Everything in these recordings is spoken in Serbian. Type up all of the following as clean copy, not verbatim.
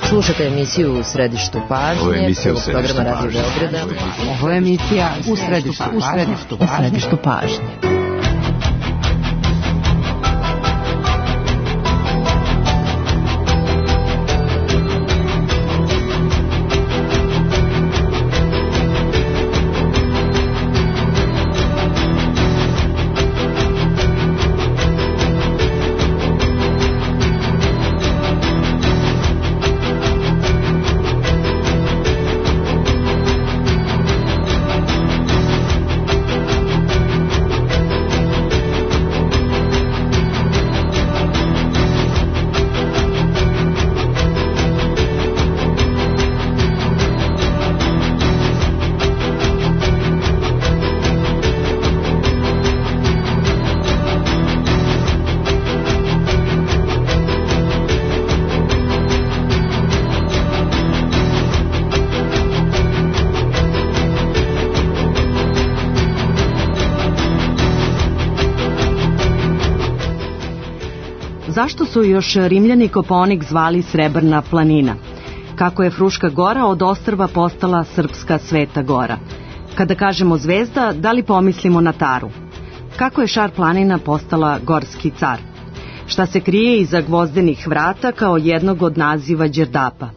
Slušate emisiju U središtu pažnje, prvog programa Radio Beograda. Ovo je emisija U središtu pažnje. Zašto su još Rimljani Kopaonik zvali Srebrna planina? Kako je Fruška gora od ostrva postala srpska Sveta gora? Kada kažemo zvezda, da li pomislimo na Taru? Kako je Šar planina postala gorski car? Šta se krije iza gvozdenih vrata kao jednog od naziva Đerdapa?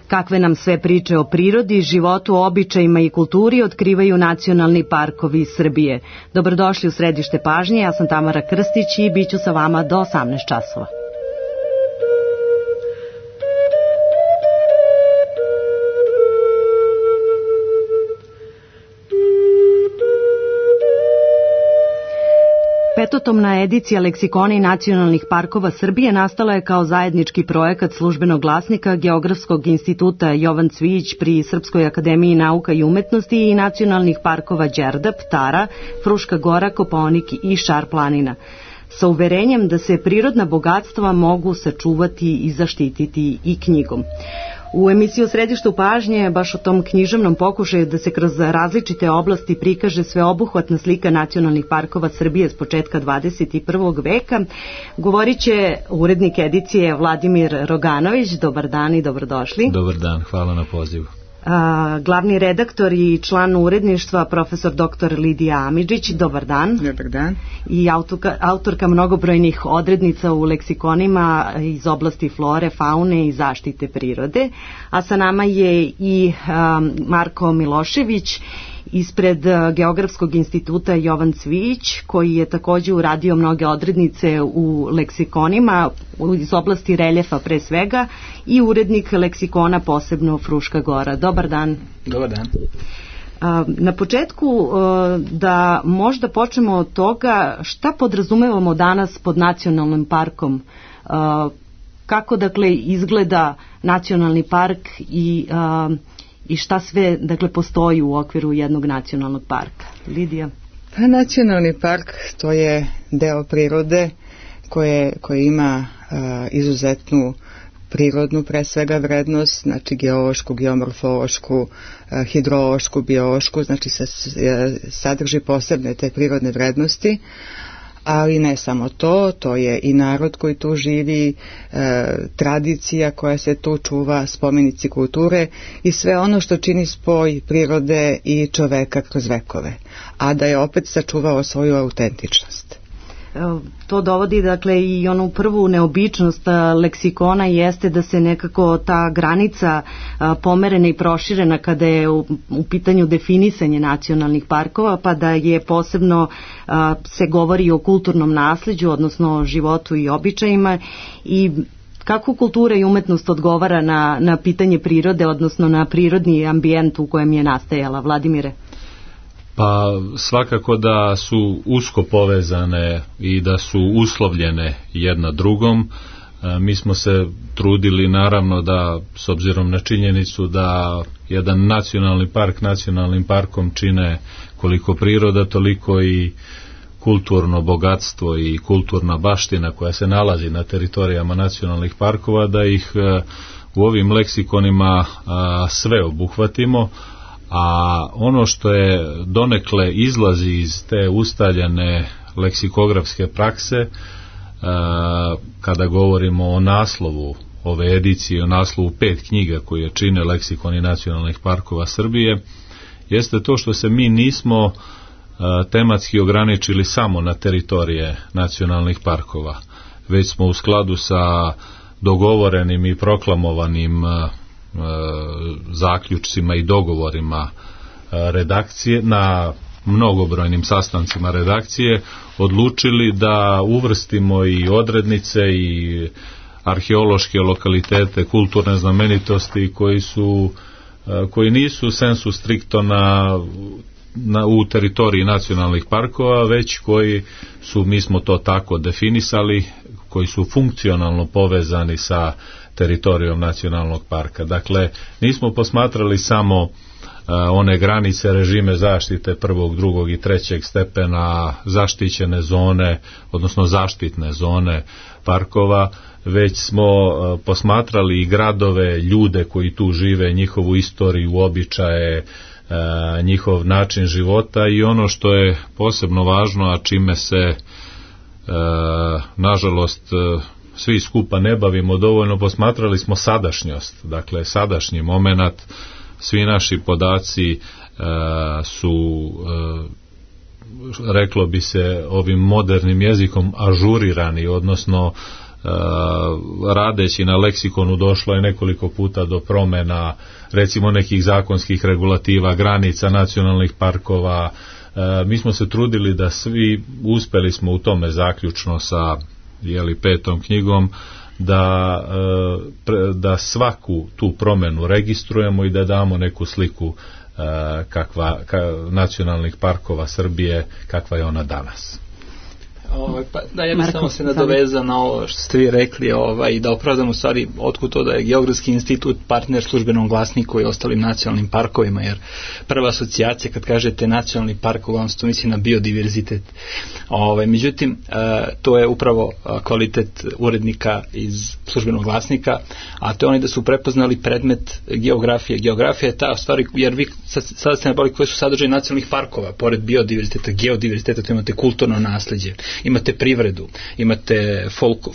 Kakve nam sve priče o prirodi, životu, običajima i kulturi otkrivaju nacionalni parkovi Srbije? Dobrodošli u središte pažnje, ja sam Tamara Krstić i bit ću sa vama do 18 časova. Petotomna edicija leksikona i nacionalnih parkova Srbije nastala je kao zajednički projekat Službenog glasnika Geografskog instituta Jovan Cvijić pri Srpskoj akademiji nauka i umetnosti i nacionalnih parkova Đerdap, Tara, Fruška gora, Kopaonik i Šar planina, sa uverenjem da se prirodna bogatstva mogu sačuvati i zaštititi i knjigom. U emisiji U središtu pažnje, baš o tom književnom pokušaju da se kroz različite oblasti prikaže sveobuhvatna slika nacionalnih parkova Srbije s početka 21. veka, govorit će urednik edicije Vladimir Roganović. Dobar dan i dobrodošli. Dobar dan, hvala na pozivu. Glavni redaktor i član uredništva profesor dr. Lidija Amidžić. Dobar dan. Dobar dan. I autorka mnogobrojnih odrednica u leksikonima iz oblasti flore, faune i zaštite prirode. A sa nama je i Marko Milošević ispred Geografskog instituta Jovan Cvijić, koji je također uradio mnoge odrednice u leksikonima iz oblasti reljefa pre svega i urednik leksikona posebno Fruška gora. Dobar dan. Dobar dan. Na početku da možda počnemo od toga šta podrazumevamo danas pod nacionalnim parkom, kako dakle izgleda nacionalni park i šta sve dakle postoji u okviru jednog nacionalnog parka. Lidija? Pa nacionalni park to je deo prirode koje ima izuzetnu prirodnu pre svega vrednost, znači geološku, geomorfološku, hidrološku, biološku, znači sadrži posebne te prirodne vrednosti. Ali ne samo to je i narod koji tu živi, tradicija koja se tu čuva, spomenici kulture i sve ono što čini spoj prirode i čoveka kroz vekove, a da je opet sačuvao svoju autentičnost. To dovodi dakle i onu prvu neobičnost leksikona jeste da se nekako ta granica pomerena i proširena kada je u pitanju definisanje nacionalnih parkova, pa da je posebno se govori o kulturnom nasleđu, odnosno životu i običajima i kako kultura i umetnost odgovara na pitanje prirode, odnosno na prirodni ambijent u kojem je nastajala. Vladimire? Pa svakako da su usko povezane i da su uslovljene jedna drugom. Mi smo se trudili naravno da, s obzirom na činjenicu da jedan nacionalni park nacionalnim parkom čine koliko priroda, toliko i kulturno bogatstvo i kulturna baština koja se nalazi na teritorijama nacionalnih parkova, da ih u ovim leksikonima sve obuhvatimo, a ono što je donekle izlazi iz te ustaljene leksikografske prakse, kada govorimo o naslovu ove edicije o naslovu 5 knjiga koje čine leksikoni nacionalnih parkova Srbije, jeste to što se mi nismo tematski ograničili samo na teritorije nacionalnih parkova, već smo u skladu sa dogovorenim i proklamovanim zaključcima i dogovorima redakcije, na mnogobrojnim sastancima redakcije, odlučili da uvrstimo i odrednice i arheološke lokalitete, kulturne znamenitosti koji nisu sensu stricto u teritoriji nacionalnih parkova, već koji su, mi smo to tako definisali, koji su funkcionalno povezani sa teritorijom nacionalnog parka. Dakle, nismo posmatrali samo one granice, režime zaštite prvog, drugog i trećeg stepena, zaštićene zone, odnosno zaštitne zone parkova, već smo posmatrali i gradove, ljude koji tu žive, njihovu istoriju, običaje, njihov način života i ono što je posebno važno, a čime se nažalost svi skupa ne bavimo dovoljno, posmatrali smo sadašnjost, dakle sadašnji moment. Svi naši podaci su, reklo bi se ovim modernim jezikom, ažurirani, odnosno radeći na leksikonu došlo je nekoliko puta do promjena, recimo nekih zakonskih regulativa, granica nacionalnih parkova. Mi smo se trudili da svi, uspeli smo u tome zaključno sa 5. knjigom, da svaku tu promjenu registrujemo i da damo neku sliku nacionalnih parkova Srbije, kakva je ona danas. Da, ja bih samo se nadovezao na ovo što ste vi rekli i da opravdamo stvari otkud to da je Geografski institut partner Službenom glasniku i ostalim nacionalnim parkovima, jer prva asocijacija kad kažete nacionalni park, uglavnom se to misli na biodiverzitet. Međutim, to je upravo kvalitet urednika iz Službenog glasnika, a to je oni da su prepoznali predmet geografije. Geografija je ta stvari, jer vi sada ste nabavili koje su sadržaje nacionalnih parkova, pored biodiverziteta, geodiverziteta, to imate kulturno nasleđe, imate privredu, imate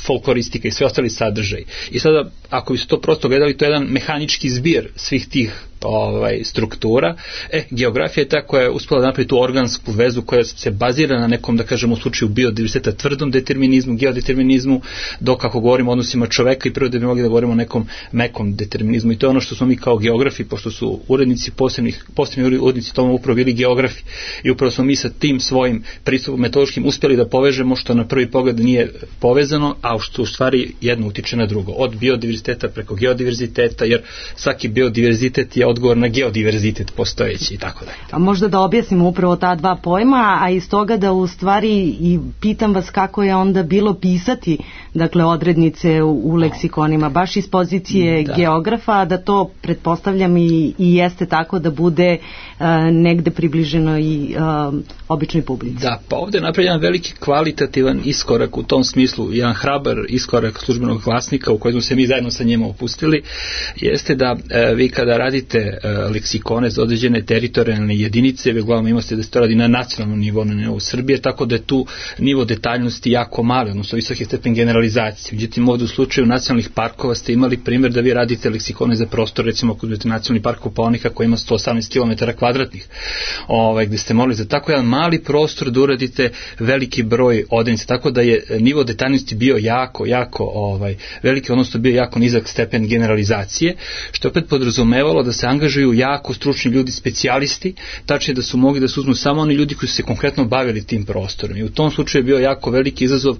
folkloristika i sve ostali sadržaj. I sada, ako bi se to prosto gledali, to je jedan mehanički zbir svih tih struktura. Geografija je ta koja je uspela da napravi tu organsku vezu koja se bazira na nekom, da kažemo u slučaju biodiverziteta, tvrdom determinizmu, geodeterminizmu, dok ako govorimo o odnosima čoveka i prirode bi mogli da govorimo o nekom mekom determinizmu. I to je ono što smo mi kao geografi, pošto su urednici, posebni urednici tome upravo bili geografi. I upravo smo mi sa tim svojim pristupom metodološkim uspjeli da povežemo što na prvi pogled nije povezano, a što u stvari jedno utiče na drugo. Od biodiverziteta preko geodiverziteta, jer svaki biodiverzitet je odgovor na geodiverzitet postojeći i tako dalje. A možda da objasnimo upravo ta dva pojma, a iz toga da u stvari i pitam vas kako je onda bilo pisati, dakle, odrednice u leksikonima, baš iz pozicije geografa, da to pretpostavljam i jeste tako da bude negde približeno i običnoj publici. Da, pa ovdje je napravljen veliki kvalitativan iskorak u tom smislu, jedan hrabar iskorak Službenog glasnika u kojem smo se mi zajedno sa njima opustili, jeste da vi kada radite leksikone za određene teritorijalne jedinice, vi uglavnom imate da se to radi na nacionalnom nivou, na nivou Srbije, tako da je tu nivo detaljnosti jako mali, odnosno visoki stepen generalizacije. Međutim, ovdje u slučaju nacionalnih parkova ste imali primjer da vi radite leksikone za prostor, recimo ako uzmete nacionalni park Kopaonika koji ima 118 km kvadratnih, gdje ste morali za tako jedan mali prostor da uradite veliki broj odrednica, tako da je nivo detaljnosti bio jako veliki, odnosno bio jako nizak stepen generalizacije, što opet podrazumevalo da se angažuju jako stručni ljudi, specijalisti, tačnije da su mogli da se uzmu samo oni ljudi koji su se konkretno bavili tim prostorom. I u tom slučaju je bio jako veliki izazov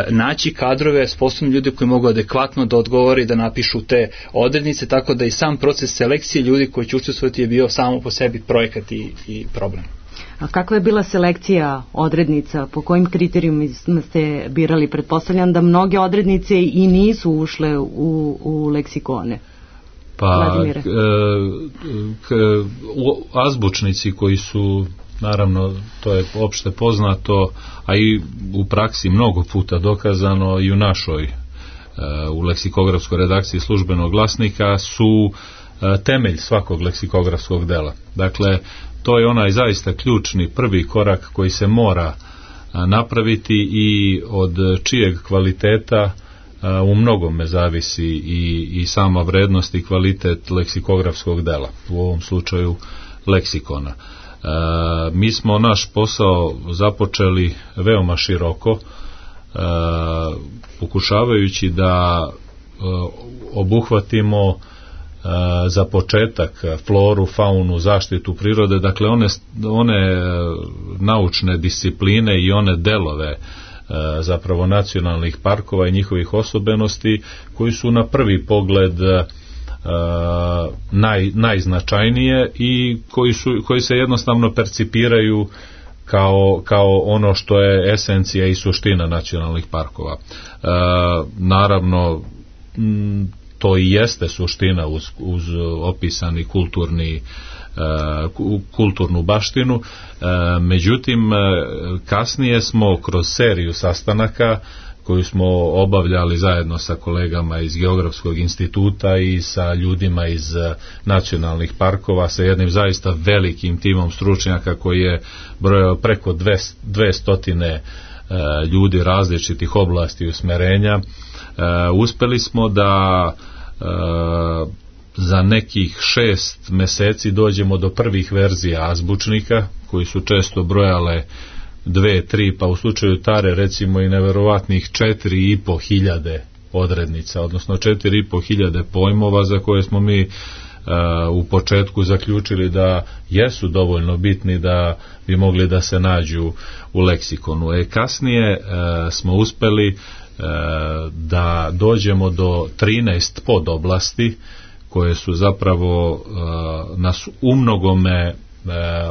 naći kadrove, sposobni ljudi koji mogu adekvatno da odgovore i da napišu te odrednice, tako da i sam proces selekcije ljudi koji će učestvovati je bio samo po sebi projekat i problem. A kakva je bila selekcija odrednica? Po kojim kriterijumima ste birali? Pretpostavljam da mnoge odrednice i nisu ušle u leksikone. Pa azbučnici koji su, naravno, to je opšte poznato, a i u praksi mnogo puta dokazano i u našoj u leksikografskoj redakciji Službenog glasnika, su temelj svakog leksikografskog dela. Dakle, to je onaj zaista ključni prvi korak koji se mora napraviti i od čijeg kvaliteta u mnogome zavisi i sama vrednost i kvalitet leksikografskog dela, u ovom slučaju leksikona. Mi smo naš posao započeli veoma široko, pokušavajući da obuhvatimo za početak floru, faunu, zaštitu prirode, dakle one naučne discipline i one delove zapravo nacionalnih parkova i njihovih osobenosti koji su na prvi pogled najznačajnije i koji se jednostavno percipiraju kao ono što je esencija i suština nacionalnih parkova. Naravno, to i jeste suština uz opisani kulturnu baštinu, međutim kasnije smo kroz seriju sastanaka koju smo obavljali zajedno sa kolegama iz Geografskog instituta i sa ljudima iz nacionalnih parkova, sa jednim zaista velikim timom stručnjaka koji je brojao preko 200 ljudi različitih oblasti i usmerenja. Uspeli smo da za nekih 6 meseci dođemo do prvih verzija azbučnika koji su često brojale 2, 3, pa u slučaju Tare recimo i neverovatnih 4.500 odrednica, odnosno 4.500 pojmova za koje smo mi u početku zaključili da jesu dovoljno bitni da bi mogli da se nađu u leksikonu. Kasnije smo uspeli da dođemo do 13 podoblasti koje su zapravo nas umnogome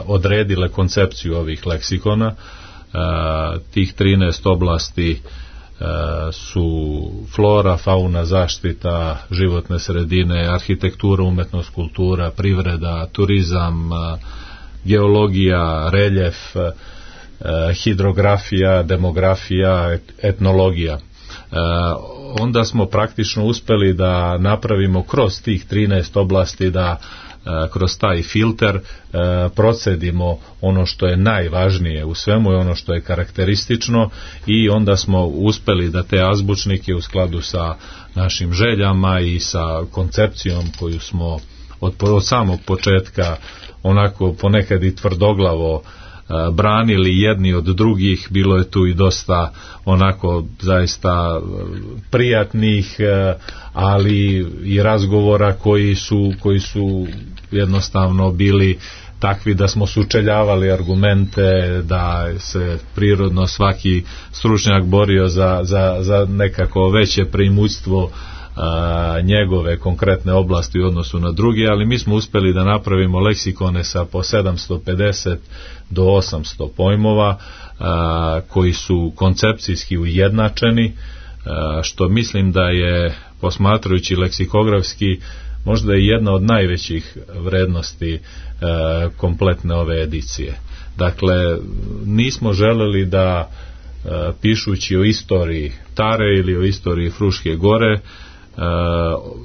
odredile koncepciju ovih leksikona. Tih 13 oblasti su flora, fauna, zaštita životne sredine, arhitektura, umetnost, kultura, privreda, turizam, geologija, reljef, hidrografija, demografija, etnologija. Onda smo praktično uspeli da napravimo kroz tih 13 oblasti da kroz taj filter procedimo ono što je najvažnije u svemu i ono što je karakteristično i onda smo uspeli da te azbučnike u skladu sa našim željama i sa koncepcijom koju smo od samog početka onako ponekad i tvrdoglavo branili jedni od drugih, bilo je tu i dosta onako zaista prijatnih, ali i razgovora koji su jednostavno bili takvi da smo sučeljavali argumente, da se prirodno svaki stručnjak borio za nekako veće preimućstvo njegove konkretne oblasti u odnosu na druge, ali mi smo uspeli da napravimo leksikone sa po 750 do 800 pojmova koji su koncepcijski ujednačeni, što mislim da je, posmatrajući leksikografski, možda i jedna od najvećih vrednosti kompletne ove edicije. Dakle, nismo želeli da pišući o istoriji Tare ili o istoriji Fruške gore,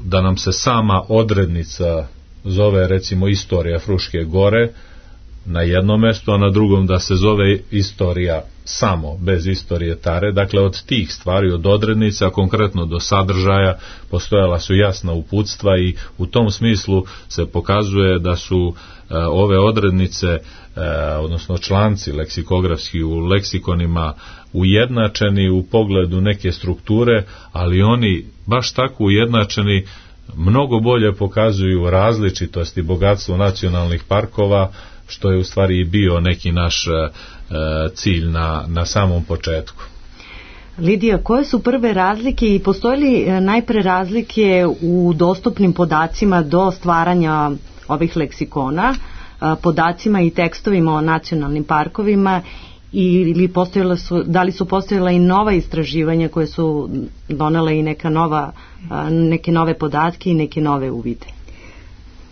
da nam se sama odrednica zove recimo istorija Fruške gore na jednom mjestu, a na drugom da se zove istorija samo, bez istorije Tare. Dakle, od tih stvari, od odrednica, konkretno do sadržaja, postojala su jasna uputstva i u tom smislu se pokazuje da su ove odrednice, odnosno članci leksikografski u leksikonima ujednačeni u pogledu neke strukture, ali oni baš tako ujednačeni mnogo bolje pokazuju različitost i bogatstvo nacionalnih parkova, što je u stvari i bio neki naš cilj na samom početku. Lidija, koje su prve razlike i postoje li najpre razlike u dostupnim podacima do stvaranja ovih leksikona, podacima i tekstovima o nacionalnim parkovima, ili da li su postojala i nova istraživanja koje su donela i neke nove podatke i neke nove uvide?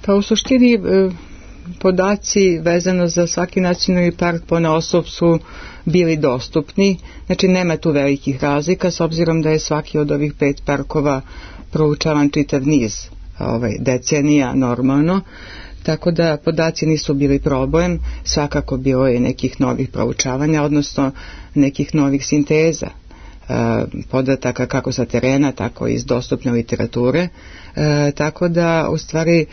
Pa u suštini podaci vezano za svaki nacionalni park ponaosob su bili dostupni, znači nema tu velikih razlika s obzirom da je svaki od ovih 5 parkova proučavan čitav niz decenija normalno, tako da podaci nisu bili problem. Svakako bilo je nekih novih proučavanja, odnosno nekih novih sinteza podataka kako sa terena, tako i iz dostupne literature, tako da u stvari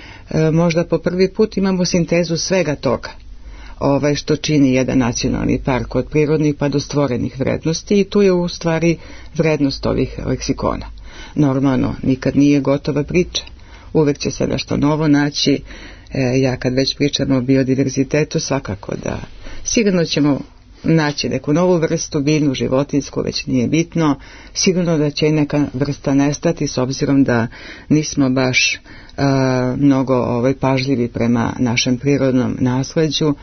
možda po prvi put imamo sintezu svega toga što čini jedan nacionalni park, od prirodnih pa do stvorenih vrednosti, i tu je u stvari vrednost ovih leksikona. Normalno, nikad nije gotova priča, uvek će se nešto novo naći. Ja kad već pričam o biodiverzitetu, svakako da sigurno ćemo naći neku novu vrstu, biljnu, životinsku, već nije bitno. Sigurno da će i neka vrsta nestati, s obzirom da nismo baš mnogo pažljivi prema našem prirodnom nasleđu.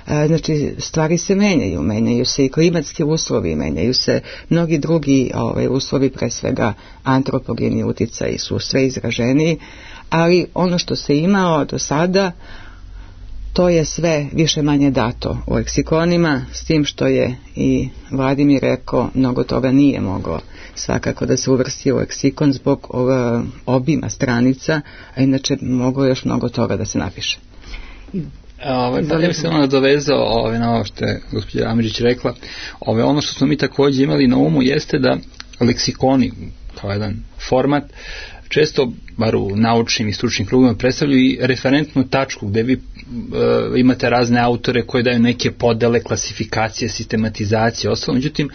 Znači, stvari se menjaju se i klimatski uslovi, menjaju se mnogi drugi uslovi, pre svega antropogeni uticaji su sve izraženiji, ali ono što se imao do sada, to je sve više manje dato u leksikonima, s tim što je i Vladimir rekao, mnogo toga nije moglo svakako da se uvrsti u leksikon zbog obima stranica, a inače moglo još mnogo toga da se napiše. Pa ja bih se nadovezao na ovo što je gospođa Amidžić rekla. Ono što smo mi također imali na umu jeste da leksikoni kao jedan format često, bar u naučnim i stručnim krugovima, predstavljaju i referentnu tačku gde vi imate razne autore koji daju neke podele, klasifikacije, sistematizacije, ostalo. Međutim,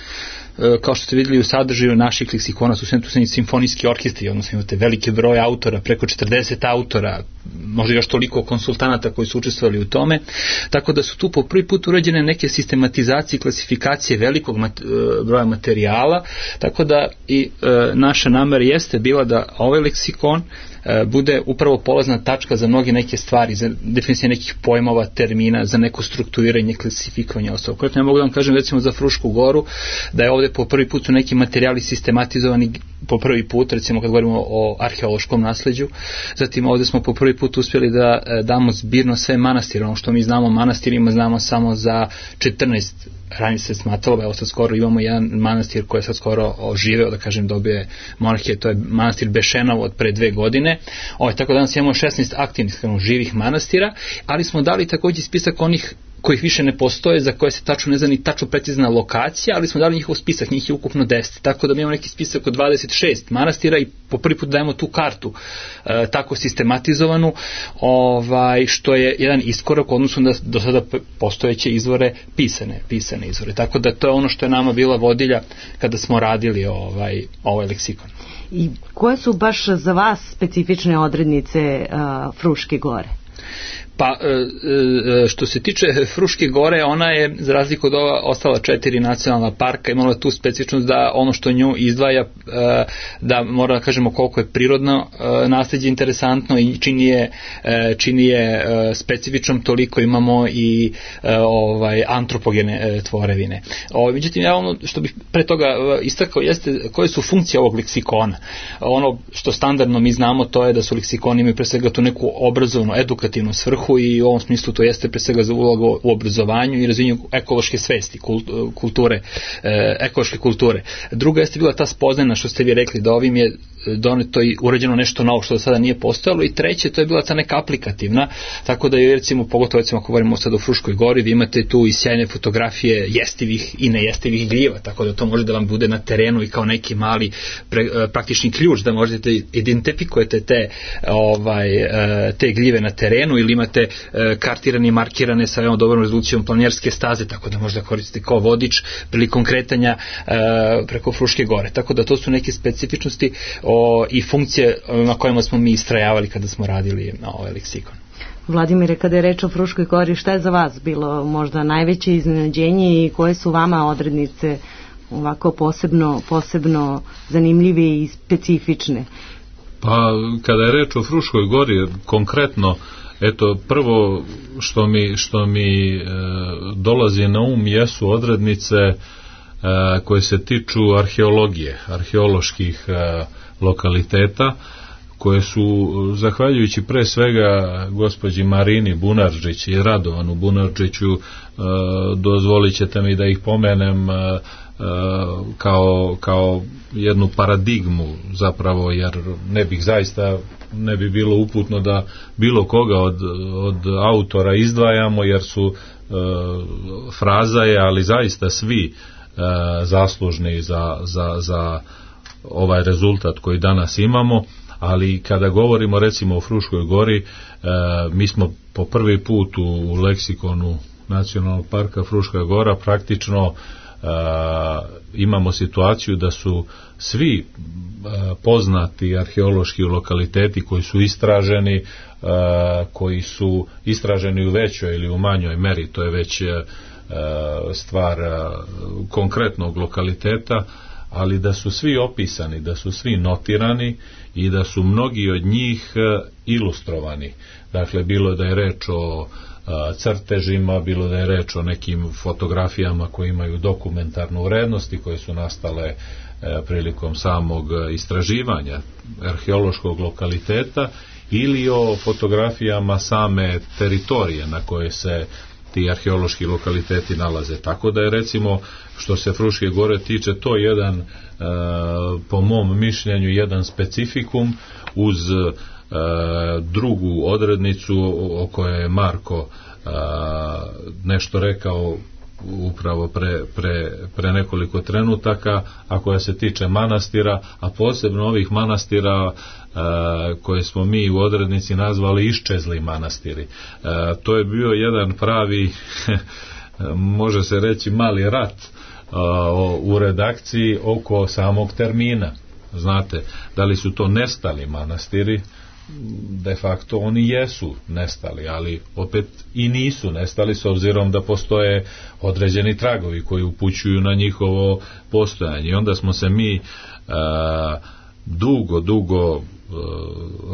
kao što ste vidjeli u sadržaju naših leksikona su sve simfonijski orkestri, odnosno imate velike broje autora, preko 40 autora, možda još toliko konsultanata koji su učestvovali u tome, tako da su tu po prvi put urađene neke sistematizacije i klasifikacije velikog broja materijala, tako da i naša namera jeste bila da ovaj leksikon bude upravo polazna tačka za mnoge neke stvari, za definiciju nekih pojmova, termina, za neko strukturiranje, klasifikovanje ostalo. Konkretno ja mogu da vam kažem recimo za Frušku goru, da je ovdje po prvi put su neki materijali sistematizovani po prvi put, recimo kad govorimo o arheološkom nasleđu. Zatim ovdje smo po prvi put uspjeli da damo zbirno sve manastire. Ono što mi znamo o manastirima znamo samo za 14, ranije se smatralo, evo sad skoro imamo jedan manastir koji je sad skoro oživeo, da kažem, dobio monarhije, to je manastir Bešenovo od pre 2 godine. Tako da danas imamo 16 aktivnih živih manastira, ali smo dali također spisak onih kojih više ne postoje, za koje se tačno ne zna ni tačno precizna lokacija, ali smo dali njihov spisak, njih je ukupno 10. Tako da mi imamo neki spisak od 26 manastira i po prvi put dajemo tu kartu tako sistematizovanu, što je jedan iskorak odnosno da do sada postojeće izvore pisane izvore. Tako da to je ono što je nama bila vodilja kada smo radili ovaj leksikon. I koje su baš za vas specifične odrednice Fruške gore? Pa, što se tiče Fruške gore, ona je, za razliku od ova ostala 4 nacionalna parka, imala tu specifičnost da ono što nju izdvaja, da mora da kažemo koliko je prirodno nasleđe interesantno i čini je specifičnom, toliko imamo i antropogene tvorevine. Međutim, ja ono što bih pre toga istakao jeste koje su funkcije ovog leksikona. Ono što standardno mi znamo, to je da su leksikoni imaju pre svega tu neku obrazovnu, edukativnu svrhu, i u ovom smislu to jeste pre svega za ulogu u obrazovanju i razvijanju ekološke svesti, ekološke kulture. Druga jeste bila ta spoznajna što ste vi rekli, da ovim je doneto i urađeno nešto novo što do sada nije postojalo, i treće, to je bila ta neka aplikativna, tako da je recimo, pogotovo recimo ako govorimo sad o Fruškoj gori, vi imate tu i sjajne fotografije jestivih i nejestivih gljiva, tako da to može da vam bude na terenu i kao neki mali praktični ključ da možete identifikujete te gljive na terenu, ili imate kartirane i markirane sa veoma dobrom rezolucijom planinarske staze, tako da možda koristite kao vodič prilikom kretanja preko Fruške gore. Tako da to su neke specifičnosti i funkcije na kojima smo mi istrajavali kada smo radili na ovaj leksikon. Vladimire, kada je reč o Fruškoj gori, šta je za vas bilo možda najveće iznenađenje i koje su vama odrednice ovako posebno zanimljive i specifične? Pa, kada je reč o Fruškoj gori, konkretno, eto, prvo što mi dolazi na um jesu odrednice koje se tiču arheologije, arheoloških lokaliteta, koje su, zahvaljujući pre svega gospođi Marini Bunardžić i Radovanu Bunardžiću, dozvolit ćete mi da ih pomenem kao jednu paradigmu zapravo, jer ne bi bilo uputno da bilo koga od autora izdvajamo, jer su fraza je, ali zaista svi zaslužni za ovaj rezultat koji danas imamo, ali kada govorimo recimo o Fruškoj gori, mi smo po prvi put u leksikonu Nacionalnog parka Fruška gora praktično imamo situaciju da su svi poznati arheološki lokaliteti koji su istraženi u većoj ili u manjoj meri, to je već stvar konkretnog lokaliteta, ali da su svi opisani, da su svi notirani i da su mnogi od njih ilustrovani. Dakle, bilo da je reč o crtežima, bilo da je reč o nekim fotografijama koje imaju dokumentarnu vrednost i koje su nastale prilikom samog istraživanja arheološkog lokaliteta, ili o fotografijama same teritorije na koje se ti arheološki lokaliteti nalaze. Tako da je recimo, što se Fruške gore tiče, to jedan, po mom mišljenju, jedan specifikum uz drugu odrednicu o kojoj je Marko nešto rekao upravo pre nekoliko trenutaka, a koja se tiče manastira, a posebno ovih manastira koje smo mi u odrednici nazvali iščezli manastiri. To je bio jedan pravi može se reći mali rat u redakciji oko samog termina. Znate, da li su to nestali manastiri? De facto oni jesu nestali, ali opet i nisu nestali, s obzirom da postoje određeni tragovi koji upućuju na njihovo postojanje. I onda smo se mi dugo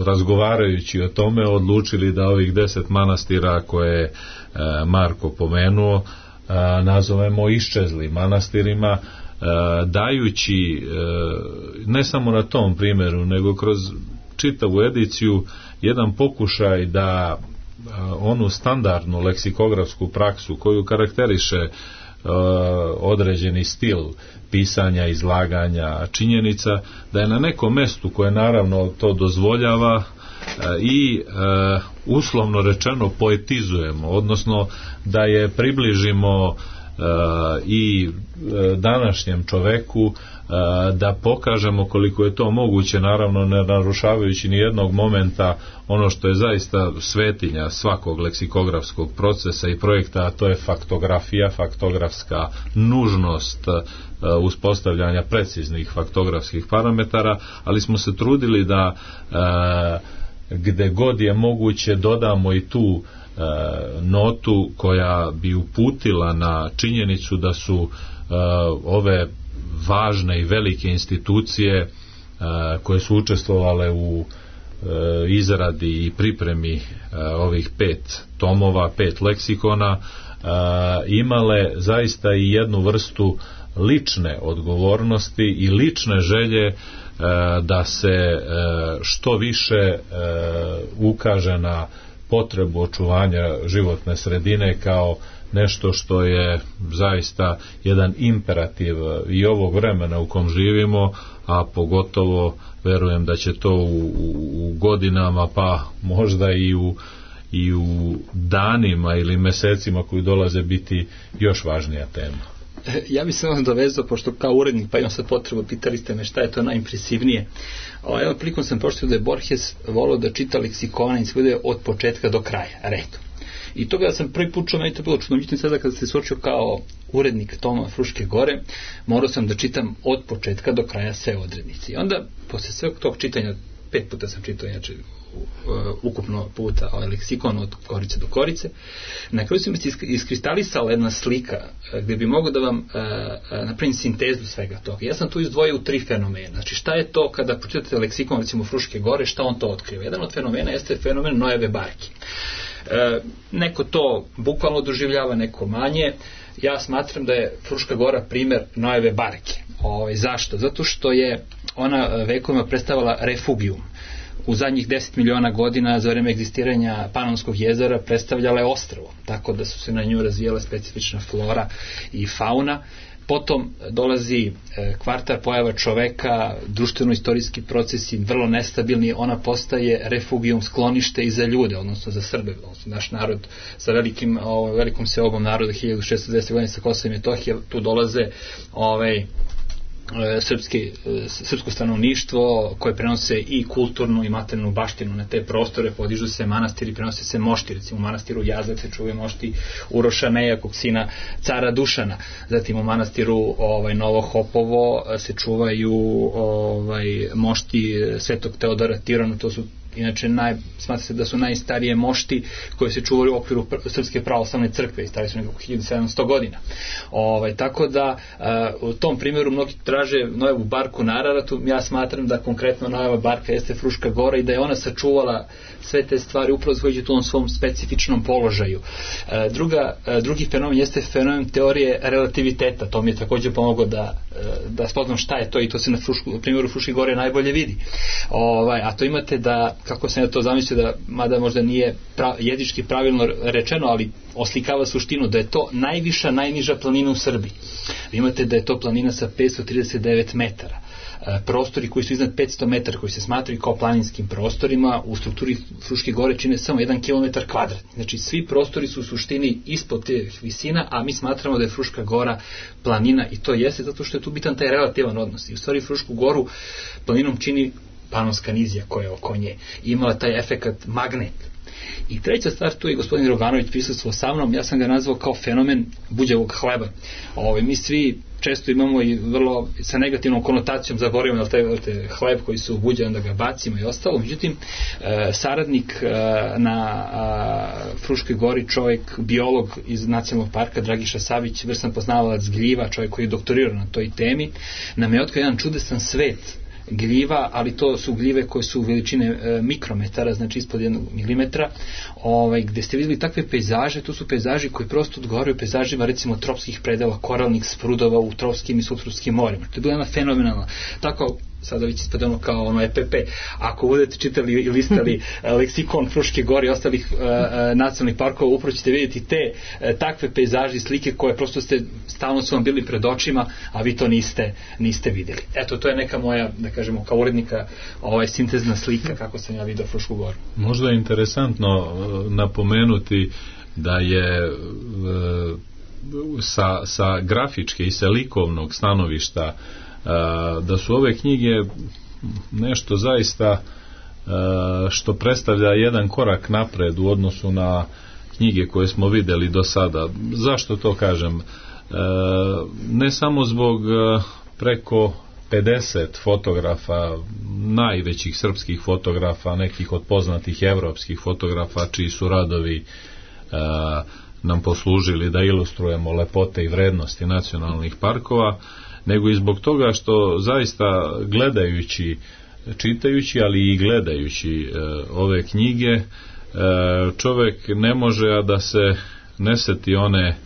razgovarajući o tome odlučili da ovih 10 manastira koje je Marko pomenuo nazovemo iščezlim manastirima, dajući ne samo na tom primjeru, nego kroz čitavu ediciju jedan pokušaj da onu standardnu leksikografsku praksu koju karakteriše određeni stil pisanja, izlaganja činjenica, da je na nekom mestu koje naravno to dozvoljava i uslovno rečeno poetizujemo, odnosno da je približimo i današnjem čoveku, da pokažemo koliko je to moguće, naravno ne narušavajući ni jednog momenta ono što je zaista svetinja svakog leksikografskog procesa i projekta, a to je faktografija, faktografska nužnost uspostavljanja preciznih faktografskih parametara, ali smo se trudili da gde god je moguće dodamo i tu notu koja bi uputila na činjenicu da su ove važne i velike institucije koje su učestvovale u izradi i pripremi ovih 5 tomova, 5 leksikona, imale zaista i jednu vrstu lične odgovornosti i lične želje da se što više ukaže na potrebu očuvanja životne sredine kao nešto što je zaista jedan imperativ i ovog vremena u kom živimo, a pogotovo verujem da će to u godinama, pa možda i u danima ili mesecima koji dolaze biti još važnija tema. Ja bih se vam dovezao, pošto kao urednik, pa imam sad potrebu, pitali ste me šta je to najimpresivnije. Evo, prilikom sam pročitao da je Borges volao da čita leksikone i sve od početka do kraja, redom. I toga da sam prvi put čuo, meni to bilo čudno, međutim sada kada se suočio kao urednik toma Fruške gore, morao sam da čitam od početka do kraja sve odrednice. I onda, posle sveg tog čitanja, 5 puta sam čitao, znači ukupno puta leksikon od korice do korice, na kraju se mi iskristalisala jedna slika gdje bi mogao da vam napravim sintezu svega toga. Ja sam tu izdvojio u 3 fenomena. Znači šta je to kada pročitate leksikon recimo Fruške gore, šta on to otkriva? Jedan od fenomena jeste fenomen Noeve barke. Neko to bukvalno doživljava, neko manje. Ja smatram da je Fruška gora primjer Noeve barke. Zašto? Zato što je ona vekovima predstavila refugium. U zadnjih 10 miliona godina za vreme egzistiranja Panonskog jezera predstavljala je ostrvo, tako da su se na nju razvijala specifična flora i fauna, Potom dolazi kvartar pojava čoveka, društveno-istorijski procesi vrlo nestabilni, ona postaje refugijum, sklonište i za ljude, odnosno za Srbe, odnosno naš narod sa velikom seobom naroda 1610. godine sa Kosova i Metohije, tu dolaze srpsko stanovništvo koje prenose i kulturnu i materijalnu baštinu na te prostore, podižu se manastiri, prenose se mošti, recimo u manastiru Jazak se čuvaju mošti Uroša Nejakog, sina cara Dušana, zatim u manastiru Novo Hopovo se čuvaju mošti Svetog Teodora Tirona, to su inače smatra se da su najstarije mošti koje se čuvaju u okviru Srpske pravoslavne crkve i stari su nekako 1700 godina. Tako da u tom primjeru mnogi traže Nojevu barku na Araratu, ja smatram da konkretno Nojeva barka jeste Fruška gora i da je ona sačuvala sve te stvari upravo zahvaljujući tom svom specifičnom položaju. Drugi fenomen jeste fenomen teorije relativiteta, to mi je također pomoglo da spoznam šta je to i to se na primjeru Fruške gore najbolje vidi. A to imate da, kako sam ja to zamislio, da mada možda nije jezički pravilno rečeno, ali oslikava suštinu, da je to najniža planina u Srbiji. Vi imate da je to planina sa 539 metara. Prostori koji su iznad 500 metara, koji se smatraju kao planinskim prostorima, u strukturi Fruške gore čine samo 1 km kvadratni. Znači svi prostori su u suštini ispod tih visina, a mi smatramo da je Fruška gora planina i to jeste zato što je tu bitan taj relativan odnos. I u stvari Frušku goru planinom čini Panonska nizija koja je oko nje. Imala taj efekat magnet. I treća stvar, tu je gospodin Roganović prisustvovao sa mnom, ja sam ga nazvao kao fenomen buđevog hleba. Mi svi često imamo i vrlo sa negativnom konotacijom zaboravimo da taj hleb koji su buđe, onda ga bacimo i ostalo. Međutim, saradnik na Fruškoj gori, čovjek, biolog iz nacionalnog parka, Dragiša Savić, vrstan poznavalac gljiva, čovjek koji je doktorirao na toj temi, nam je otkrio jedan čudesan svet gljiva, ali to su gljive koje su veličine mikrometara, znači ispod 1 milimetra, gde ste vidjeli takve pejzaže, to su pejzaži koji prosto odgovaraju pejzažima recimo tropskih predela, koralnih sprudova u tropskim i subtropskim morima. To je bila jedna fenomenalna, tako sada već ispadano kao EPP. Ako budete čitali i listali leksikon Fruške gore i ostalih nacionalnih parkova, upravo ćete vidjeti te takve pejzaže i slike koje prosto stalno su vam bili pred očima, a vi to niste vidjeli. Eto, to je neka moja, da kažemo, kao urednika sintezna slika kako sam ja vidio Frušku goru. Možda je interesantno napomenuti da je sa grafičke i sa likovnog stanovišta da su ove knjige nešto zaista što predstavlja jedan korak napred u odnosu na knjige koje smo vidjeli do sada. Zašto to kažem? Ne samo zbog preko 50 fotografa, najvećih srpskih fotografa, nekih od poznatih evropskih fotografa čiji su radovi nam poslužili da ilustrujemo lepote i vrednosti nacionalnih parkova, nego i zbog toga što zaista gledajući, čitajući, ali i gledajući ove knjige, čovjek ne može a da se ne seti one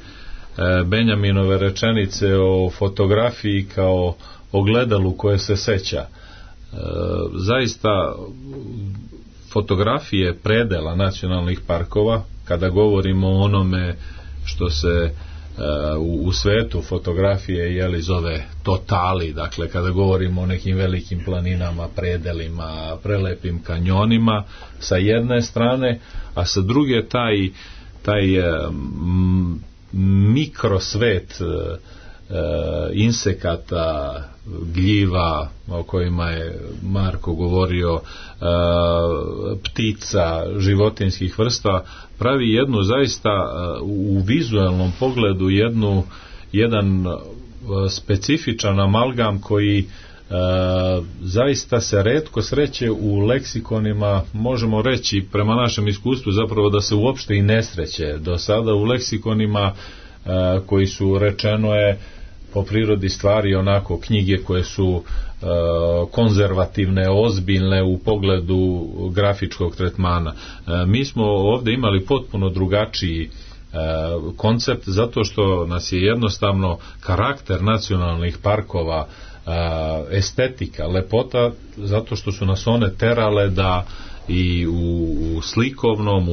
Benjaminove rečenice o fotografiji kao ogledalu koje se seća. Zaista fotografije predela nacionalnih parkova, kada govorimo o onome što se u svetu fotografije zove totali, dakle kada govorimo o nekim velikim planinama, predelima, prelepim kanjonima sa jedne strane, a sa druge taj mikrosvet insekata, gljiva o kojima je Marko govorio, ptica, životinjskih vrsta, pravi jednu zaista u vizualnom pogledu jedan specifičan amalgam koji zaista se retko sreće u leksikonima, možemo reći prema našem iskustvu zapravo da se uopšte i ne sreće do sada u leksikonima koji su, rečeno je, po prirodi stvari onako knjige koje su konzervativne, ozbiljne u pogledu grafičkog tretmana. Mi smo ovdje imali potpuno drugačiji koncept zato što nas je jednostavno karakter nacionalnih parkova, estetika, lepota, zato što su nas one terale da i u slikovnom,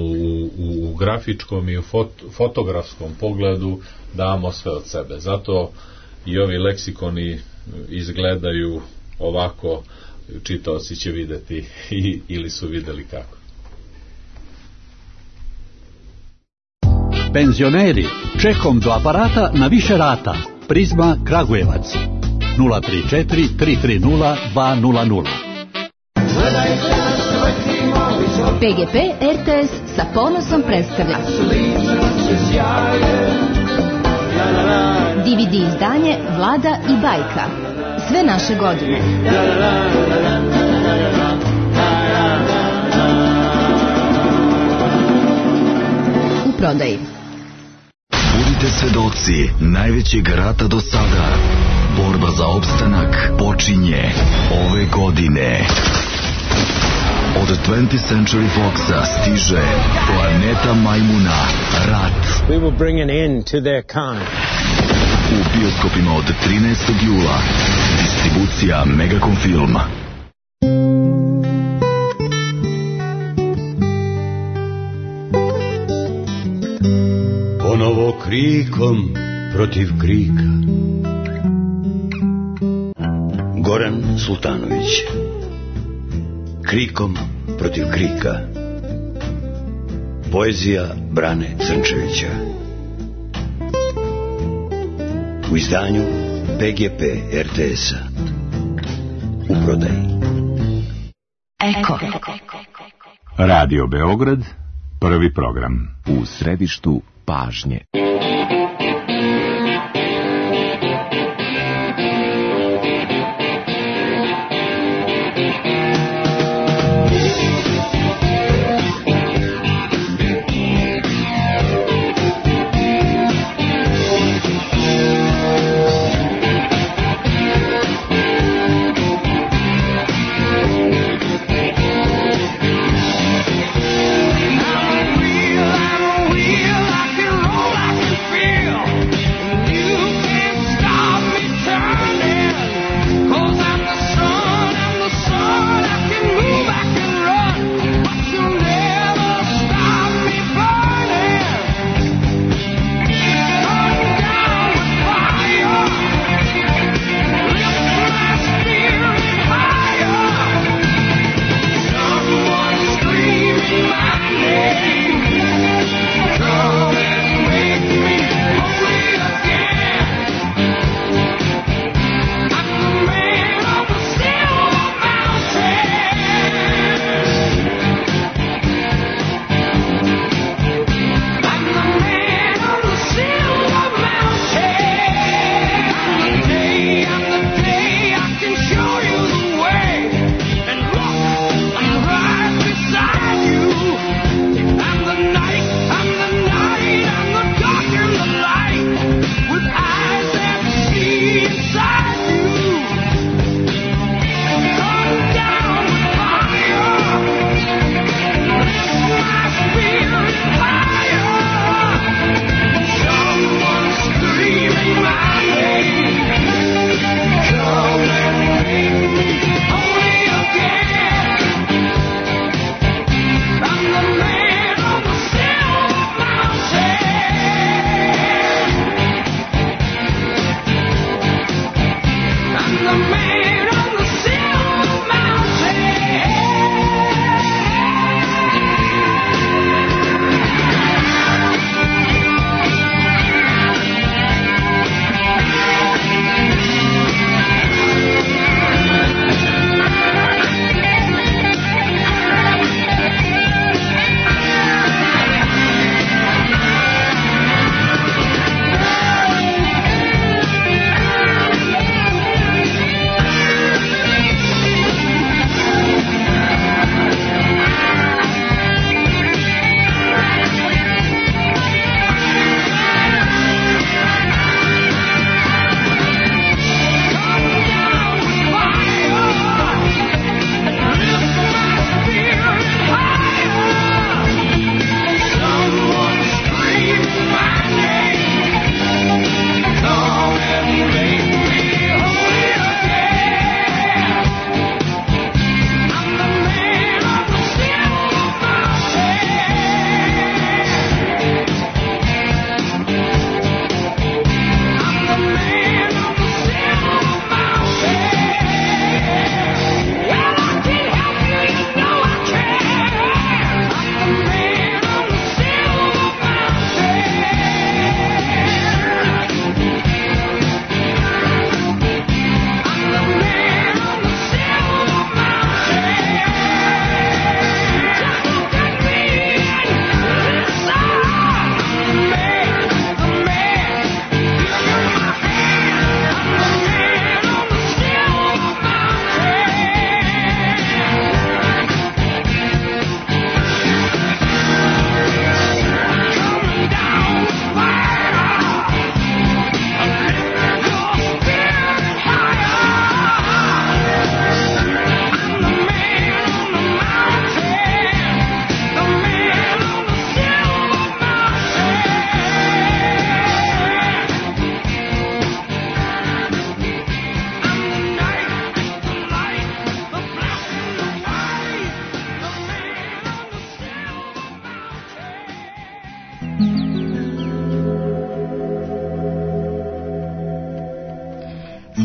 u grafičkom i u fotografskom pogledu damo sve od sebe. Zato i ovi leksikoni izgledaju ovako, čitaoci će videti ili su videli kako. Penzioneri, čekom do aparata na više rata. Prizma Kragujevac 034 330 200. PGP RTS sa ponosom predstavlja DVD izdanje Vlada i bajka. Sve naše godine. U prodaji. Budite svedoci najvećeg rata do sada. Borba za opstanak počinje ove godine. Od 20th Century Foxa stiže Planeta majmuna, Rat. We will bring an end to their kind. U bioskopima od 13. jula. Distribucija Megacom Filma. Ponovo krikom protiv krika. Goran Sultanović. Krikom protiv krika. Poezija Brane Crnčevića. U izdanju PGP RTS-a. U prodaji. Eko. Radio Beograd, prvi program. U središtu pažnje. I can roll, I can feel.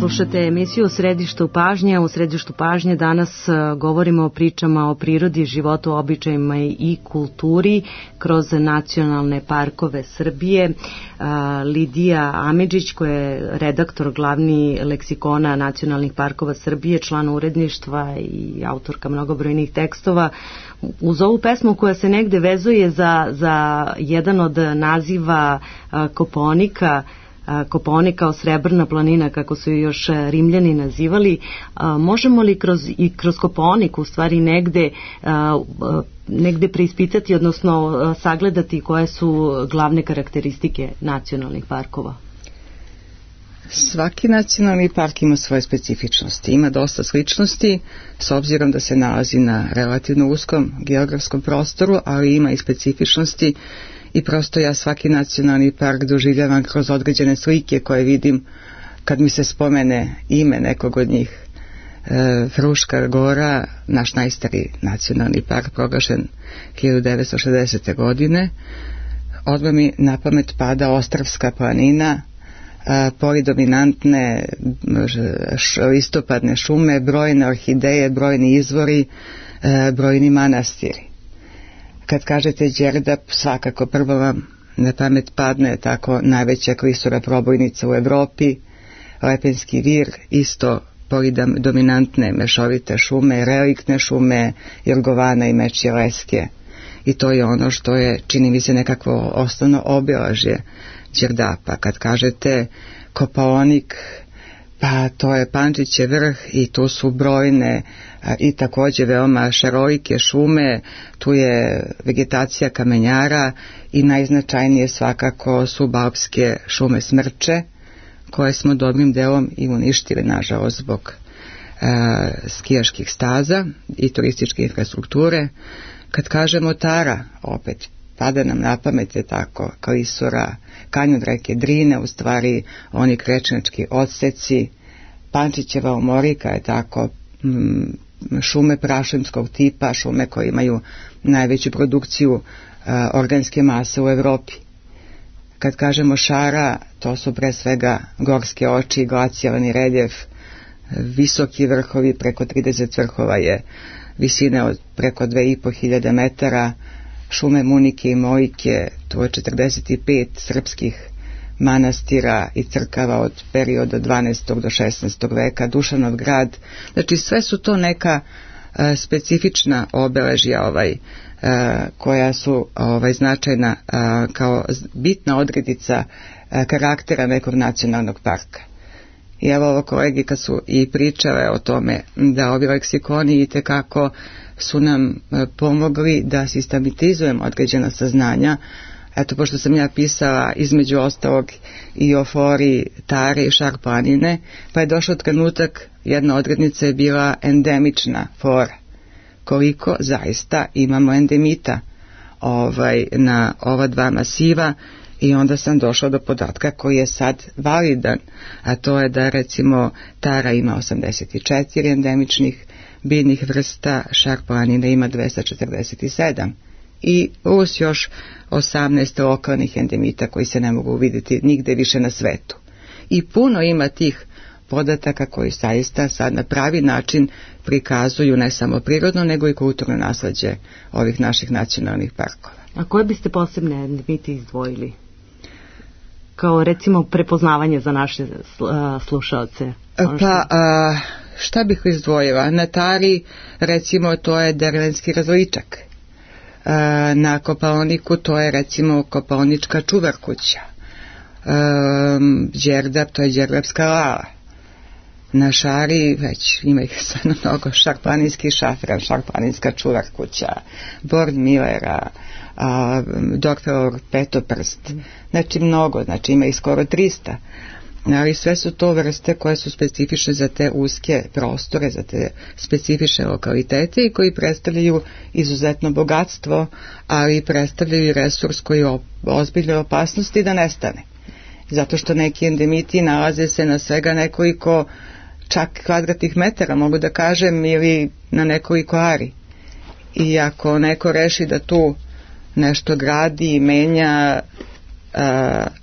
Slušate emisiju Središtu pažnje. U Središtu pažnje danas govorimo o pričama o prirodi, životu, običajima i kulturi kroz nacionalne parkove Srbije. Lidija Amidžić, koja je redaktor glavni leksikona nacionalnih parkova Srbije, član uredništva i autorka mnogobrojnih tekstova, uz ovu pesmu koja se negde vezuje za jedan od naziva Kopaonik kao srebrna planina, kako su ju još Rimljani nazivali, možemo li kroz Kopaonik u stvari negde preispitati, odnosno sagledati koje su glavne karakteristike nacionalnih parkova? Svaki nacionalni park ima svoje specifičnosti, ima dosta sličnosti s obzirom da se nalazi na relativno uskom geografskom prostoru, ali ima i specifičnosti i prosto ja svaki nacionalni park doživljavam kroz određene slike koje vidim kad mi se spomene ime nekog od njih. Fruška Gora, naš najstariji nacionalni park, proglašen 1960. godine, odmah mi na pamet pada Ostrvska planina, polidominantne listopadne šume, brojne orhideje, brojni izvori, brojni manastiri. Kad kažete Đerdap, svakako prvo vam na pamet padne tako najveća klisura probojnica u Evropi, Lepenski vir, isto polidominantne mešovite šume, reliktne šume, Jorgovana i Mečje Leske. I to je ono što je, čini mi se, nekakvo osnovno obilažje Đerdapa. Kad kažete Kopaonik, pa to je Pančićev vrh i tu su brojne i također veoma šarolike šume, tu je vegetacija kamenjara i najznačajnije svakako su Balpske šume smrče, koje smo dobrim delom i uništili, nažalost, zbog skijaških staza i turističke infrastrukture. Kad kažemo Tara, opet pada nam na pamet je tako klisura, kanjon reke Drine, u stvari oni krečnički odseci, Pančićeva omorika je tako, šume prašumskog tipa, šume koje imaju najveću produkciju organske mase u Evropi. Kad kažemo Šara, to su pre svega gorske oči, glacijalni reljef, visoki vrhovi, preko 30 vrhova je visine od preko 2500 metara, šume Munike i Mojike, to je 45 srpskih manastira i crkava od perioda 12. do 16. veka, Dušanov grad. Znači sve su to neka specifična obeležja koja su značajna kao bitna odrednica karaktera nekog nacionalnog parka. I evo ovo kolegi kad su i pričale o tome da ovi leksikoni itekako su nam pomogli da sistematizujemo određena saznanja. Eto, pošto sam ja pisala između ostalog i o flori Tare i Šar planine, pa je došao trenutak, jedna odrednica je bila endemična flora. Koliko zaista imamo endemita na ova dva masiva, i onda sam došla do podatka koji je sad validan, a to je da recimo Tara ima 84 endemičnih biljnih vrsta, Šar planine ima 247 i plus još 18 lokalnih endemita koji se ne mogu vidjeti nigde više na svetu. I puno ima tih podataka koji zaista sad na pravi način prikazuju ne samo prirodno nego i kulturno nasleđe ovih naših nacionalnih parkova. A koje biste posebne endemite izdvojili? Kao recimo prepoznavanje za naše slušalce? Šta bih izdvojila? Na Tari recimo to je dervenski različak. Na Kopaoniku to je recimo kopaonička čuvarkuća. Đerdap, to je đerdapska lala. Na Šari već ima ih stvarno mnogo, šarplaninski šafran, šarplaninska čuvarkuća, Born Millera, Dorfelov petoprst, znači mnogo, znači ima ih skoro 300, ali sve su to vrste koje su specifične za te uske prostore, za te specifične lokalitete i koji predstavljaju izuzetno bogatstvo, ali predstavljaju resurs koji je ozbiljne opasnosti da nestane. Zato što neki endemiti nalaze se na svega nekoliko čak kvadratnih metara, mogu da kažem, ili na nekoliko ari. I ako neko reši da tu nešto gradi i menja,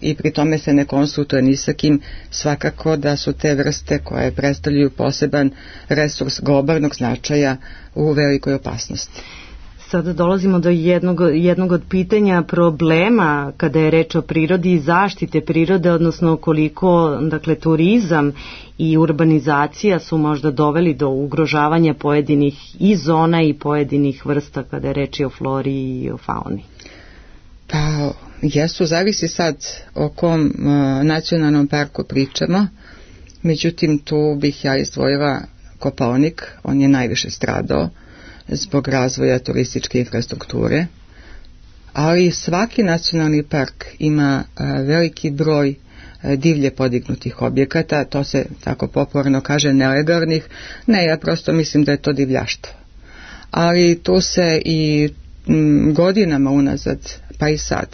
i pri tome se ne konsultuje ni sa kim, svakako da su te vrste koje predstavljaju poseban resurs globalnog značaja u velikoj opasnosti. Sada dolazimo do jednog od pitanja problema kada je reč o prirodi i zaštite prirode, odnosno koliko, dakle, turizam i urbanizacija su možda doveli do ugrožavanja pojedinih i zona i pojedinih vrsta kada je reč o flori i o fauni. Pa, jesu, zavisi sad o kom nacionalnom parku pričamo, međutim tu bih ja izdvojila Kopaonik, on je najviše stradao zbog razvoja turističke infrastrukture, ali svaki nacionalni park ima veliki broj divlje podignutih objekata, to se tako popularno kaže nelegalnih, ne, ja prosto mislim da je to divljaštvo. Ali tu se i godinama unazad, pa i sad,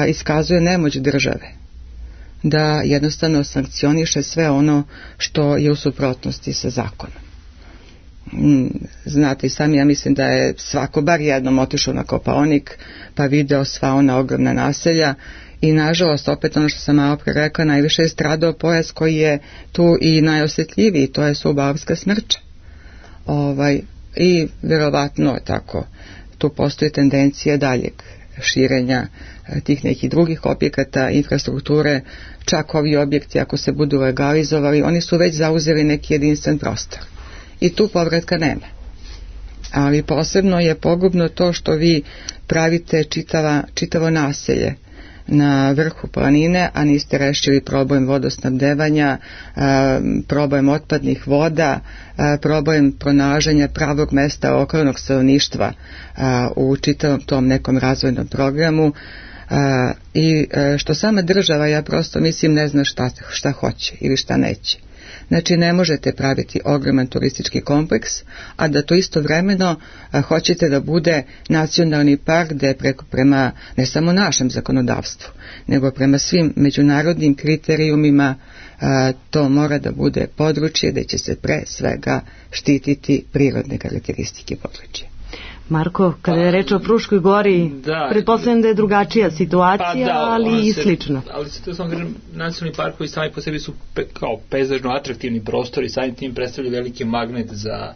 iskazuje nemoć države da jednostavno sankcioniše sve ono što je u suprotnosti sa zakonom. Znate i sami, ja mislim da je svako bar jednom otišao na Kopaonik pa video sva ona ogromna naselja i nažalost opet ono što sam malo pre rekla, najviše je stradao pojas koji je tu i najosjetljiviji, to je Subaorska smrča. I vjerovatno tako tu postoji tendencija daljeg širenja tih nekih drugih objekata, infrastrukture, čak ovi objekti ako se budu legalizovali, oni su već zauzeli neki jedinstven prostor. I tu povratka nema. Ali posebno je pogubno to što vi pravite čitavo naselje na vrhu planine, a niste rešili problem vodosnabdevanja, problem otpadnih voda, problem pronalaženja pravog mesta lokalnog stanovništva u čitavom tom nekom razvojnom programu. I što sama država, ja prosto mislim, ne zna šta hoće ili šta neće. Znači ne možete praviti ogroman turistički kompleks, a da to istovremeno hoćete da bude nacionalni park gde prema ne samo našem zakonodavstvu, nego prema svim međunarodnim kriterijumima to mora da bude područje gde će se pre svega štititi prirodne karakteristike područja. Marko, kada je reč o Fruškoj gori, pretpostavljam da je drugačija situacija, ali i slično. Ali to sam kažem, nacionalni parkovi sami po sebi su kao pejzažno atraktivni prostori, samim tim predstavljaju veliki magnet za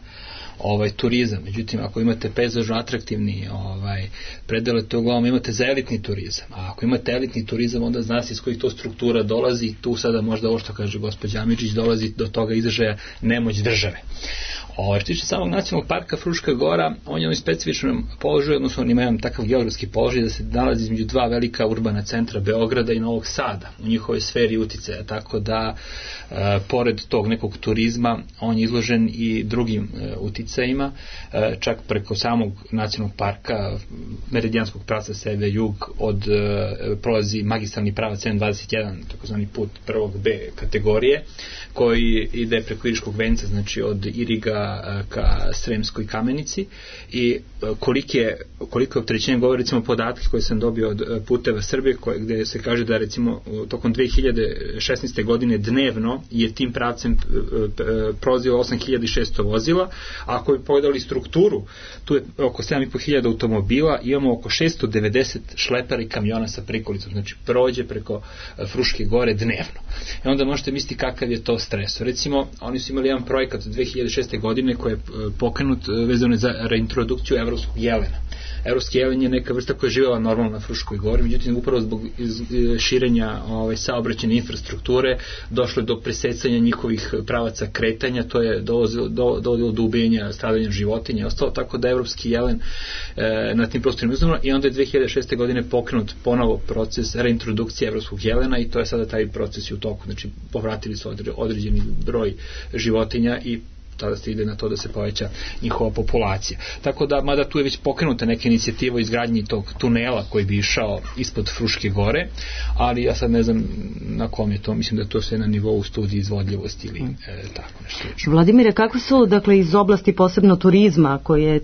turizam. Međutim, ako imate pejzažno atraktivni predele, to uglavnom imate za elitni turizam. A ako imate elitni turizam, onda zna se iz kojih to struktura dolazi. Tu sada možda ovo što kaže gospođa Amidžić, dolazi do toga izražaja nemoć države. Što tiče samog nacionalnog parka Fruška gora, on je u specifičnom položaju, odnosno on ima jedan takav geografski položaj da se nalazi između dva velika urbana centra Beograda i Novog Sada u njihovoj sferi uticaja, tako da pored tog nekog turizma on je izložen i drugim uticajima, čak preko samog nacionalnog parka meridijanskog pravca sever-jug prolazi magistralni pravac M21, takozvani put prvog B kategorije, koji ide preko Iriškog venca, znači od Iriga ka Sremskoj Kamenici, i koliko je opterećenje, govori recimo podatke koje sam dobio od Puteva Srbije, gde se kaže da recimo tokom 2016. godine dnevno je tim pravcem prolazilo 8600 vozila, a ako bi pogledali strukturu, tu je oko 7500 automobila, imamo oko 690 šlepera i kamiona sa prikolicom, znači prođe preko Fruške gore dnevno. I onda možete misliti kakav je to stres. Recimo, oni su imali jedan projekat od 2006. godine koji je pokrenut vezano za reintrodukciju evropskog jelena. Evropski jelen je neka vrsta koja je živjela normalno na Fruškoj gori, međutim upravo zbog širenja saobraćajne infrastrukture došlo je do presecanja njihovih pravaca kretanja, to je dovodilo do ubijanja, stradanja životinja i ostalo, tako da evropski jelen na tim prostorima izumro, i onda je 2006. godine pokrenut ponovo proces reintrodukcije evropskog jelena i to je sada taj proces u toku, znači povratili su određeni broj životinja i tada se ide na to da se poveća njihova populacija. Tako da, mada tu je već pokrenuta neka inicijativa o izgradnji tog tunela koji bi išao ispod Fruške gore, ali ja sad ne znam na kom je to, mislim da je to sve na nivou studije izvodljivosti ili tako nešto. Vladimire, kako su, dakle, iz oblasti posebno turizma, koji je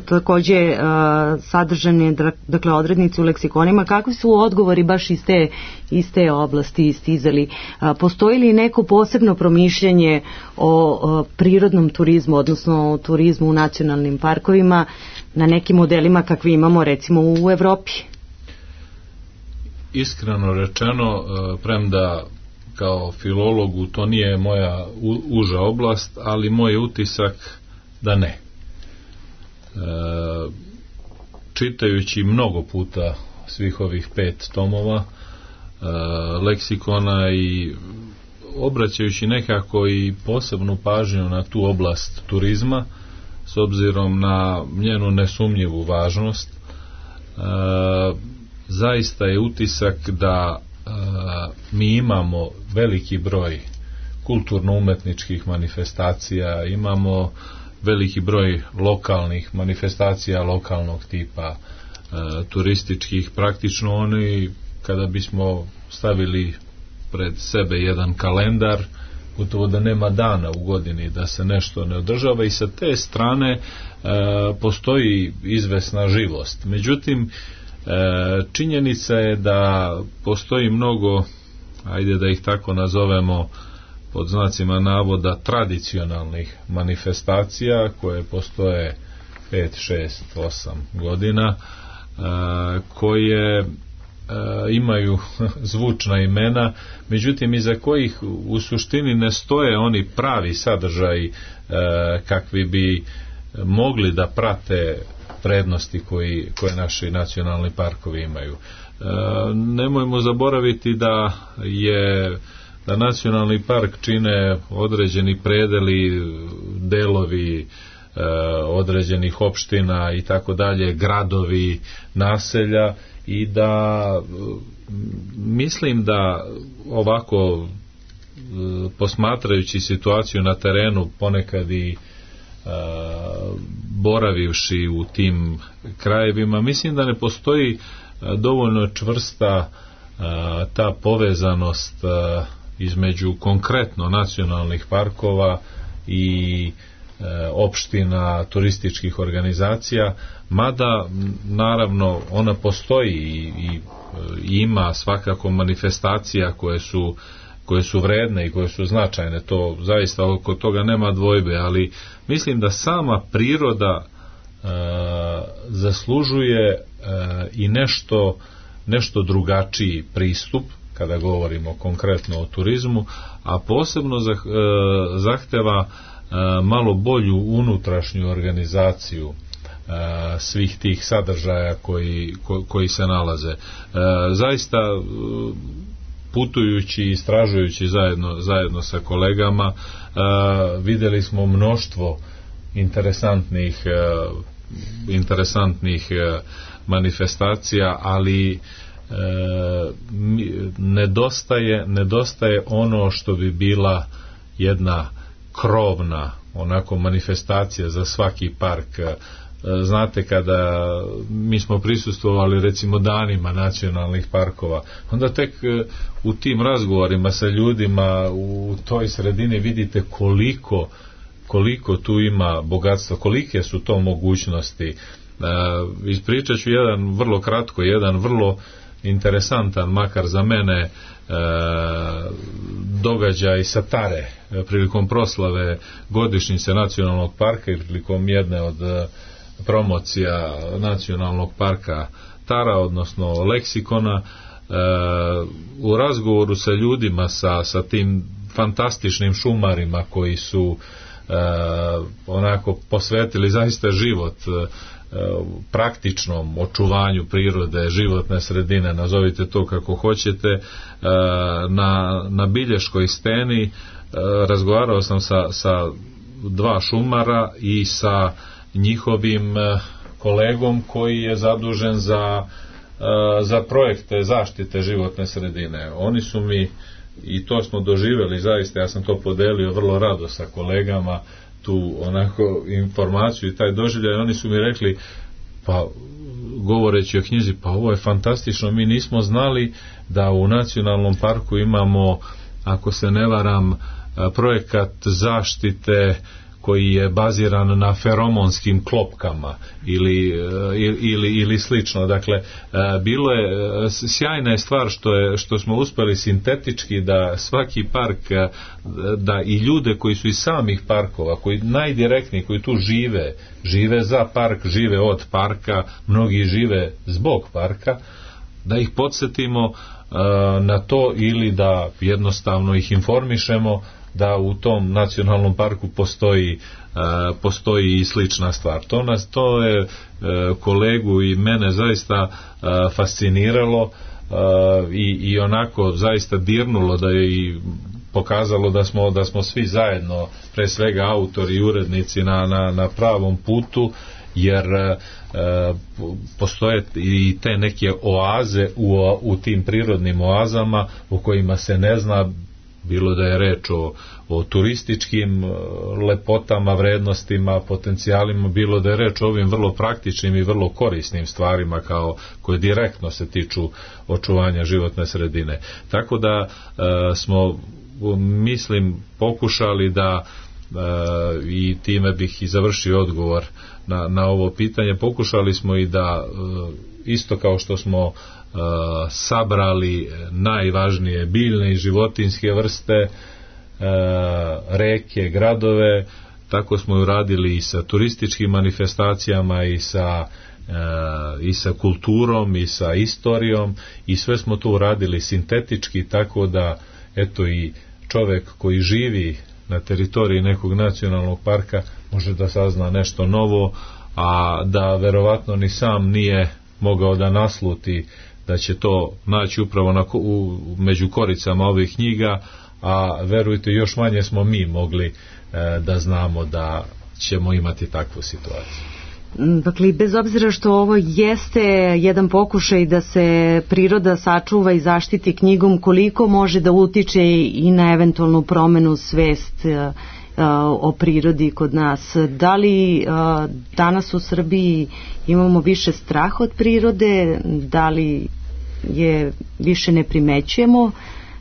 takođe sadržane, dakle, odrednice u leksikonima, kakvi su odgovori baš iz te oblasti istizali? Postoji li neko posebno promišljanje o prirodnom turizmu, odnosno o turizmu u nacionalnim parkovima na nekim modelima kakvi imamo recimo u Evropi? iskreno rečeno, premda kao filologu to nije moja uža oblast, ali moj utisak da ne. Čitajući mnogo puta svih ovih 5 tomova leksikona i obraćajući nekako i posebnu pažnju na tu oblast turizma s obzirom na njenu nesumnjivu važnost, zaista je utisak da mi imamo veliki broj kulturno-umetničkih manifestacija, imamo veliki broj lokalnih manifestacija lokalnog tipa, turističkih. Praktično oni, kada bismo stavili pred sebe jedan kalendar, gotovo da nema dana u godini da se nešto ne održava, i sa te strane postoji izvesna živost. Međutim, činjenica je da postoji mnogo, ajde da ih tako nazovemo pod znacima navoda, tradicionalnih manifestacija koje postoje 5, 6, 8 godina, koje imaju zvučna imena, međutim iza kojih u suštini ne stoje oni pravi sadržaji kakvi bi mogli da prate prednosti koje naši nacionalni parkovi imaju. Nemojmo zaboraviti da nacionalni park čine određeni predeli, delovi određenih opština i tako dalje, gradovi, naselja, i da mislim da ovako posmatrajući situaciju na terenu, ponekad i boravivši u tim krajevima, mislim da ne postoji dovoljno čvrsta ta povezanost između konkretno nacionalnih parkova i opština, turističkih organizacija, mada naravno ona postoji i ima svakako manifestacija koje su vredne i koje su značajne, to zaista oko toga nema dvojbe, ali mislim da sama priroda zaslužuje i nešto drugačiji pristup kada govorimo konkretno o turizmu, a posebno zahteva malo bolju unutrašnju organizaciju svih tih sadržaja koji se nalaze. Zaista putujući i istražujući zajedno sa kolegama vidjeli smo mnoštvo interesantnih manifestacija, ali nedostaje ono što bi bila jedna krovna onako manifestacija za svaki park. Znate, kada mi smo prisustvovali recimo danima nacionalnih parkova, onda tek u tim razgovorima sa ljudima u toj sredini vidite koliko tu ima bogatstva, kolike su to mogućnosti. Ispričat ću jedan vrlo interesantan, makar za mene, događaj sa Tare prilikom proslave godišnjice nacionalnog parka i prilikom jedne od promocija nacionalnog parka Tara, odnosno leksikona. U razgovoru sa ljudima, sa tim fantastičnim šumarima koji su onako posvetili zaista život praktičnom očuvanju prirode, životne sredine, nazovite to kako hoćete, na Bilješkoj steni razgovarao sam sa 2 šumara i sa njihovim kolegom koji je zadužen za projekte zaštite životne sredine. Oni su mi, i to smo doživjeli zaista, ja sam to podelio vrlo rado sa kolegama, tu onako informaciju i taj doživljaj, oni su mi rekli, pa govoreći o knjizi, pa ovo je fantastično, mi nismo znali da u nacionalnom parku imamo, ako se ne varam, projekat zaštite koji je baziran na feromonskim klopkama ili slično. Dakle, bilo je, sjajna je stvar što smo uspeli sintetički da svaki park, da i ljude koji su iz samih parkova, koji najdirektniji, koji tu žive za park, žive od parka, mnogi žive zbog parka, da ih podsjetimo na to ili da jednostavno ih informišemo da u tom nacionalnom parku postoji i slična stvar. To je kolegu i mene zaista fasciniralo i onako zaista dirnulo, da je i pokazalo da smo svi zajedno, pre svega autori i urednici, na pravom putu, jer postoje i te neke oaze u tim prirodnim oazama u kojima se ne zna, bilo da je reč o turističkim lepotama, vrednostima, potencijalima, bilo da je reč o ovim vrlo praktičnim i vrlo korisnim stvarima koje direktno se tiču očuvanja životne sredine. Tako da smo, mislim, pokušali da, i time bih i završio odgovor na ovo pitanje, pokušali smo i da isto kao što smo sabrali najvažnije biljne i životinjske vrste, reke, gradove, tako smo uradili i sa turističkim manifestacijama i sa kulturom i sa istorijom, i sve smo to uradili sintetički, tako da eto i čovek koji živi na teritoriji nekog nacionalnog parka može da sazna nešto novo, a da verovatno ni sam nije mogao da nasluti da će to naći upravo među koricama ovih knjiga, a verujte, još manje smo mi mogli da znamo da ćemo imati takvu situaciju. Dakle, bez obzira što ovo jeste jedan pokušaj da se priroda sačuva i zaštiti knjigom, koliko može da utiče i na eventualnu promenu svest o prirodi kod nas? Da li danas u Srbiji imamo više straha od prirode? Da li je više ne primećujemo?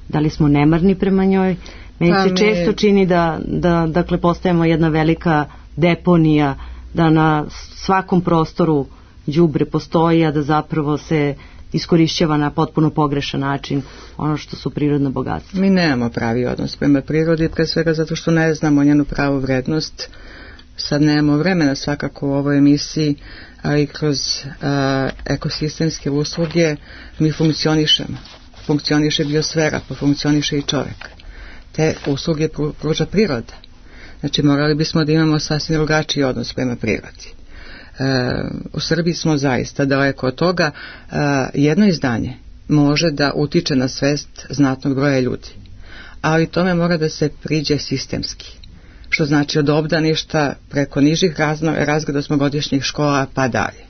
Da li smo nemarni prema njoj? Meni se često čini da dakle, postajemo jedna velika deponija, da na svakom prostoru đubre postoji, a da zapravo se iskorišćava na potpuno pogrešan način ono što su prirodna bogatstva. Mi nemamo pravi odnos prema prirodi, pre svega zato što ne znamo njenu pravu vrednost. Sad nemamo vremena svakako u ovoj emisiji, ali kroz ekosistemske usluge mi funkcionišemo. Funkcioniše biosfera, pa funkcioniše i čovjek. Te usluge pruža priroda. Znači, morali bismo da imamo sasvim drugačiji odnos prema prirodi. U Srbiji smo zaista daleko od toga. Jedno izdanje može da utiče na svest znatnog broja ljudi, ali tome mora da se priđe sistemski, što znači od obdaništa preko nižih razreda osmogodišnjih škola pa dalje.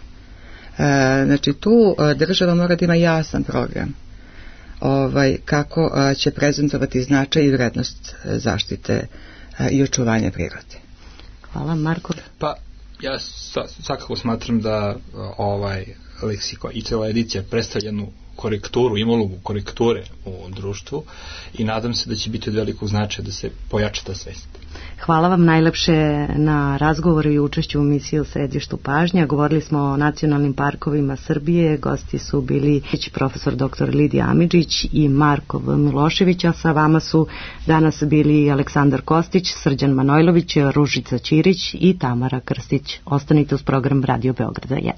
Znači, tu država mora da ima jasan program kako će prezentovati značaj i vrednost zaštite i očuvanja prirode. Hvala, Marko. Pa ja svakako smatram da leksikon i cijela edicija predstavlja jednu korekturu, ima ulogu korekture u društvu i nadam se da će biti od velikog značaja da se pojača ta svest. Hvala vam najlepše na razgovoru i učešću u emisiji u Središtu pažnje. Govorili smo o nacionalnim parkovima Srbije. Gosti su bili profesor dr. Lidija Amidžić i Marko V. Milošević, a sa vama su danas bili Aleksandar Kostić, Srđan Manojlović, Ružica Ćirić i Tamara Krstić. Ostanite uz program Radio Beograda 1.